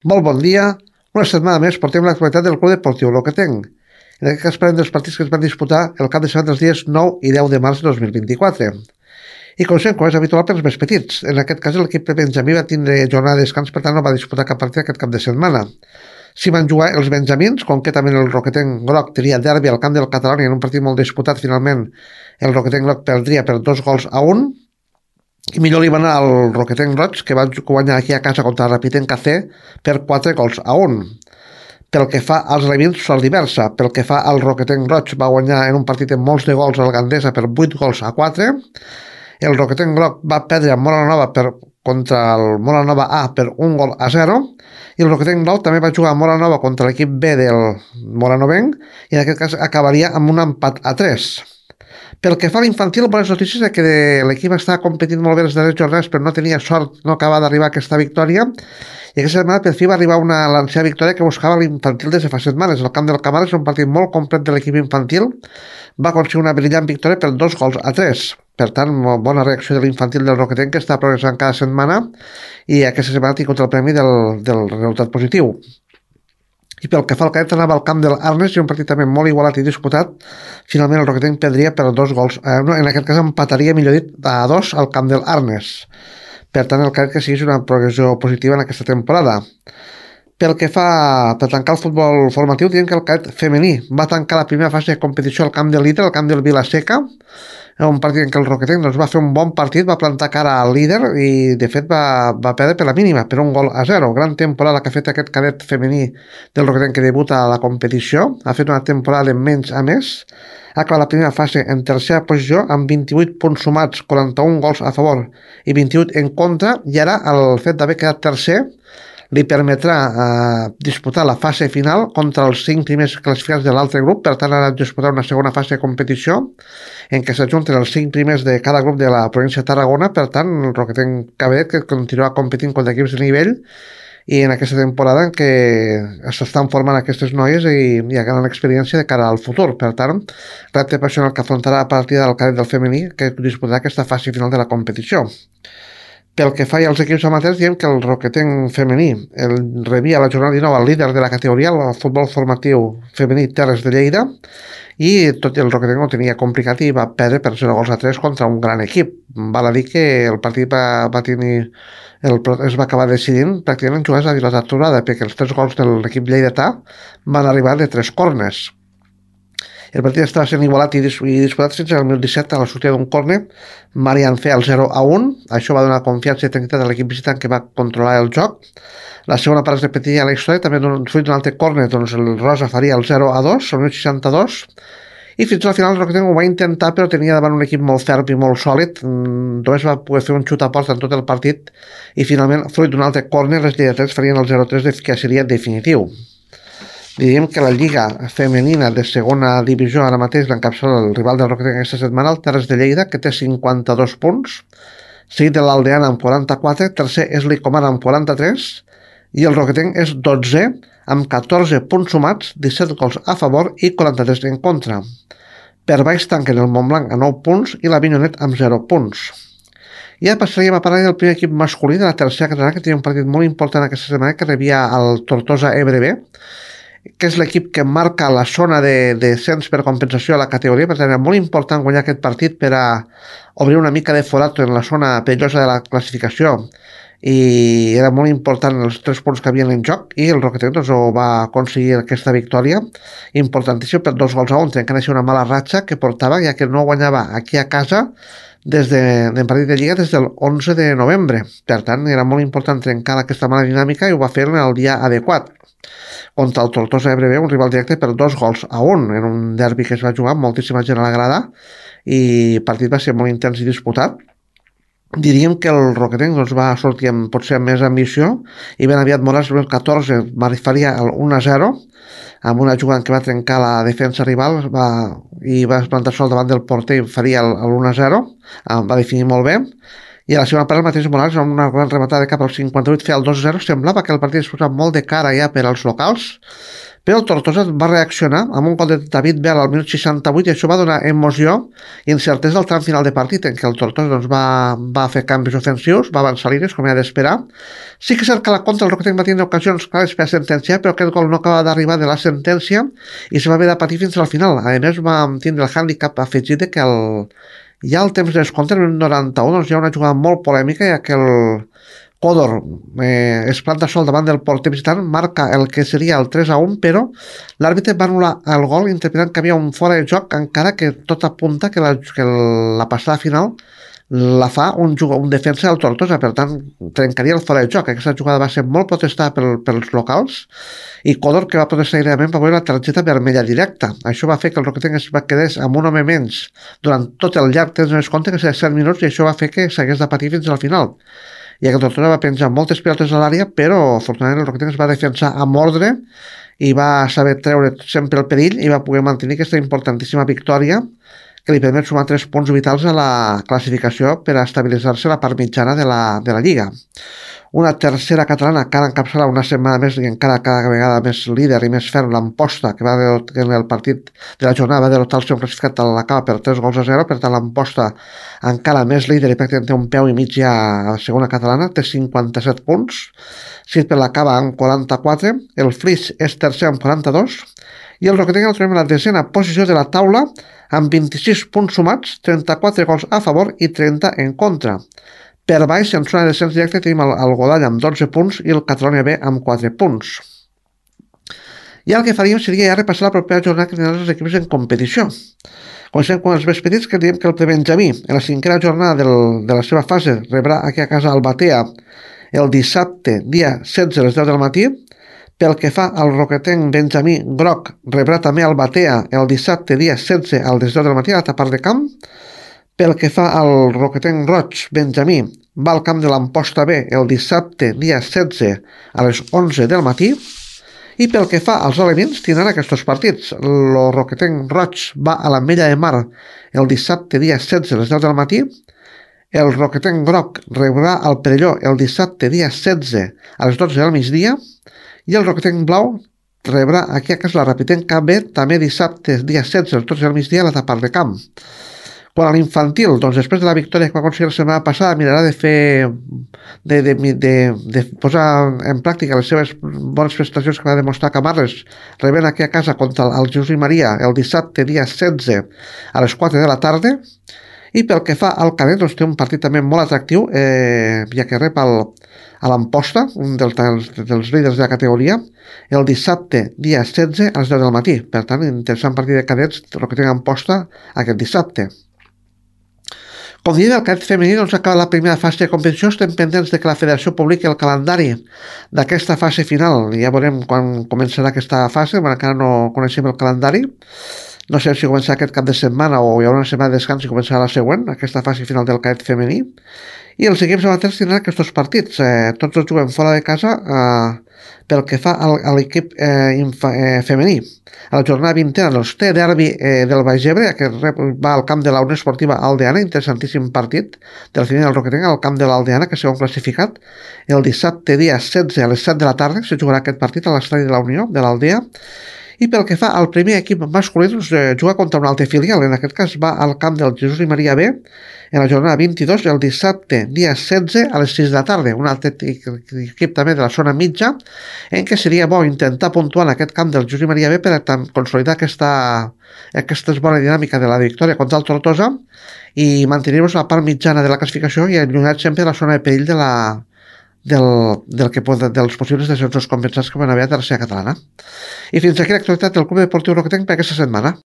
Molt bon dia. Una setmana més portem l'actualitat del Club Deportiu Locatenc. En aquest cas parlem dels partits que es van disputar el cap de setmana dels dies 9 i 10 de març de 2024. I comencem, com és habitual, pels més petits. En aquest cas, l'equip de Benjamí va tindre jornada de descans, per tant no va disputar cap partit aquest cap de setmana. S'hi van jugar els benjamins, concretament el Roquetenc Groc tenia derbi al camp del Catalunya en un partit molt disputat. Finalment, el Roquetenc Groc perdria per 2-1, i millor li va anar al Roquetenc Roig, que va guanyar aquí a casa contra el Rapitenc AC per 4-1. Pel que fa als revins, sort diversa. Pel que fa al Roquetenc Roig, va guanyar en un partit amb molts de gols al Gandesa per 8-4. El Roquetenc Groc va perdre a Molanova contra el Molanova A per 1-0. I el Roquetenc Blau també va jugar a Molanova contra l'equip B del Moranovenc i en aquest cas acabaria amb un empat a 3. Pel que fa a l'infantil, bones notícies és que l'equip està competint molt bé les darreres jornades, però no tenia sort, no acaba d'arribar a aquesta victòria. I aquesta setmana per fi va arribar l'ancià victòria que buscava l'infantil des de fa setmanes. El camp del Camara és un partit molt complet de l'equip infantil. Va aconseguir una brillant victòria per 2-3. Per tant, bona reacció de l'infantil del Roquetenc, que està progressant cada setmana i aquesta setmana ha tingut el premi del resultat positiu. I pel que fa al cadet anava al camp del Arnes i un partit també molt igualat i disputat. Finalment el Roquetenc perdria per 2-1. En aquest cas empataria, millor dit, a 2 al camp del Arnes. Per tant, el cadet que sigui una progressió positiva en aquesta temporada. Pel que fa per tancar el futbol formatiu, diem que el cadet femení va tancar la primera fase de competició al camp del líder, al camp del Vilaseca, un partit en què el Roquetenc va fer un bon partit, va plantar cara al líder i de fet va perdre per la mínima, per 1-0. Gran temporada que ha fet aquest cadet femení del Roquetenc que debuta a la competició. Ha fet una temporada de menys a més. Ha acabat la primera fase en tercera posició amb 28 punts sumats, 41 gols a favor i 28 en contra, i ara el fet d'haver quedat tercer li permetrà disputar la fase final contra els 5 primers classificats de l'altre grup. Per tant, ha de disputar una segona fase de competició en què s'ajunten els 5 primers de cada grup de la província de Tarragona. Per tant, el Roquetenc Cabaret que continuarà competint contra equips de nivell i en aquesta temporada en què s'estan formant aquestes noies i ganen experiència de cara al futur. Per tant, repte personal que afrontarà a partir del cadet del femení que disputarà aquesta fase final de la competició. Pel que fa als equips amateurs, diem que el Roquetenc femení rebia la jornada 19 al líder de la categoria, el futbol formatiu femení Terres de Lleida, i tot i el Roquetenc ho tenia complicat i va perdre per 0-3 contra un gran equip. Val a dir que el partit es va acabar decidint pràcticament en jugades a pilota aturada, perquè els 3 gols de l'equip lleidatà van arribar de 3 corners. El partit estava sent igualat i disputat fins al 2017 a la sortida d'un córner. Marian feia el 0-1. Això va donar confiança i tranquil·litat a l'equip visitant que va controlar el joc. La segona part es repetiria a la història, també fruit d'un altre córner, doncs el Rosa faria el 0-2, al 62. I fins al final el Roquetenc ho va intentar, però tenia davant un equip molt ferm i molt sòlid. Només va poder fer un xut a porta en tot el partit i finalment, fruit d'un altre córner, les lleidatans farien el 0-3 que seria definitiu. Diríem que la Lliga femenina de segona divisió ara mateix l'encapçala el rival del Roquetenc aquesta setmana, el Terres de Lleida, que té 52 punts, seguit de l'Aldeana amb 44, tercer és l'Icomara amb 43, i el Roquetenc és 12è amb 14 punts sumats, 17 gols a favor i 43 en contra. Per baix tanquen el Montblanc a 9 punts i la Vinyonet amb 0 punts. I ja passaríem a parlar del primer equip masculí de la tercera catalana, que tenia un partit molt important aquesta setmana, que rebia el Tortosa Ebre B, que és l'equip que marca la zona de descens per compensació a la categoria. Per tant, era molt important guanyar aquest partit per a obrir una mica de forat en la zona perillosa de la classificació, i era molt important els 3 punts que havien en joc, i el Roquetenc doncs, va aconseguir aquesta victòria importantíssima per 2-1, trencant així una mala ratxa que portava, ja que no guanyava aquí a casa des del partit de Lliga des del 11 de novembre. Per tant, era molt important trencar aquesta mala dinàmica i ho va fer en el dia adequat contra el Tortosa Ebre B, un rival directe per 2-1 en un derbi que es va jugar amb moltíssima gent a la grada i el partit va ser molt intens i disputat. Diríem que el Roquetenc doncs, va sortir potser amb més ambició i ben aviat Morals el 14 faria el 1-0 amb una jugada en què va trencar la defensa rival i va plantar sol davant del porter i faria el 1-0, va definir molt bé. I a la segona part el mateix Morales amb una gran rematada cap al 58 feia el 2-0. Semblava que el partit es posava molt de cara ja per als locals, Però el Tortosa va reaccionar amb un gol de David Bell al minut 68 i això va donar emoció i incertesa al tram final de partit en què el Tortosa doncs, va fer canvis ofensius, va avançar línies com era d'esperar. Sí que és cert que la contra el Roquetenc va tenir ocasions clares per sentenciar, però aquest gol no acaba d'arribar de la sentència i se va haver de patir fins al final. A més, va tindre el hàndicap afegit de que ja al temps de descompte, en el 91, doncs hi ha una jugada molt polèmica, ja que el Codor es planta sol davant del porter visitant, marca el que seria el 3-1, però l'àrbitre va anul·lar el gol interpretant que havia un fora de joc, encara que tot apunta que la passada final la fa un defensa del Tortosa, per tant trencaria el fora de joc. Aquesta jugada va ser molt protestada pels locals i Codor, que va protestar aïlladament, va veure la targeta vermella directa. Això va fer que el Roquetenc es va quedar amb un home menys durant tot el llarg temps de descompte, que seria 7 minuts, i això va fer que s'hagués de patir fins al final. I el Tortosa va penjar moltes pilotes a l'àrea, però afortunadament el Roquetenc es va defensar amb ordre i va saber treure sempre el perill i va poder mantenir aquesta importantíssima victòria que li permet sumar 3 punts vitals a la classificació per a estabilitzar-se la part mitjana de la Lliga. Una tercera catalana que ara encapçala una setmana més i encara cada vegada més líder i més ferm, l'Amposta, que en el partit de la jornada va derrotar el seu classificat a la Cava per 3-0, per tant l'Amposta encara més líder i pràcticament té un peu i mig ja a la segona catalana, té 57 punts, seguit per la Cava amb 44, el Flix és tercer amb 42 i el Roquetenc el trobem a la desena posició de la taula amb 26 punts sumats, 34 gols a favor i 30 en contra. Per baix, en zona de descens directe, tenim el Godall amb 12 punts i el Catalonia B amb 4 punts. I el que faríem seria ja repassar la propera jornada que tindran els equips en competició. Comencem amb els més petits, que diem que el Benjamí, en la cinquena jornada de la seva fase, rebrà aquí a casa al Batea el dissabte, dia 16 a les 10 del matí. Pel que fa al Roquetenc Benjamí Groc, rebrà també al Batea el dissabte, dia 16 a les 10 del matí, a la part de camp. Pel que fa al Roquetenc Roig Benjamí, va al camp de l'Amposta B el dissabte, dia 16 a les 11 del matí. I pel que fa als alevins, tindran aquests partits. El Roquetenc Roig va a l'Ametlla de Mar el dissabte, dia 16 a les 10 del matí. El Roquetenc Groc rebrà al Perelló el dissabte, dia 16 a les 12 del migdia. I el Roquetenc Blau rebrà aquí a casa la Rapitenc B també dissabte, dia 16 a les 12 del migdia, a la part de camp. Quan a l'infantil, doncs després de la victòria que va aconseguir la setmana passada, mirarà de fer de posar en pràctica les seves bones prestacions que va demostrar Camarles, rebent aquí a casa contra el Jesús i Maria el dissabte, dia 16 a les 4 de la tarda. I pel que fa al cadet, doncs té un partit també molt atractiu, ja que rep a l'Amposta, un dels líders de la categoria, el dissabte, dia 16 a les 10 del matí. Per tant, interessant partit de cadets, el que té Amposta aquest dissabte. Com diem, el cadet femení doncs, acaba la primera fase de competició. Estem pendents de que la federació publiqui el calendari d'aquesta fase final. Ja veurem quan començarà aquesta fase, però encara no coneixem el calendari. No sé si començarà aquest cap de setmana o hi haurà una setmana de descans i començarà la següent, aquesta fase final del cadet femení. I els equips amateurs tindran aquests partits. Tots els juguem fora de casa pel que fa a l'equip femení. A la jornada 20 doncs, té derbi del Baix Ebre, que va al camp de la Unió Esportiva Aldeana, interessantíssim partit del femení del Roquetenc al camp de l'Aldeana, que segon classificat. El dissabte, dia 16 a les 7 de la tarda, se jugarà aquest partit a l'estadi de la Unió, de l'Aldea. I pel que fa al primer equip masculí, doncs, juga contra un altre filial. En aquest cas va al camp del Jesús i Maria B en la jornada 22, el dissabte, dia 16 a les 6 de la tarda. Un altre equip també de la zona mitja, en què seria bo intentar puntuar en aquest camp del Jesús i Maria B per a consolidar aquesta bona dinàmica de la victòria contra el Tortosa i mantenir-nos a la part mitjana de la classificació i allunyar sempre de la zona de perill dels possibles descensos compensats que van haver a tercera catalana. I fins aquí l'actualitat del Club Deportiu Roquetenc per aquesta setmana.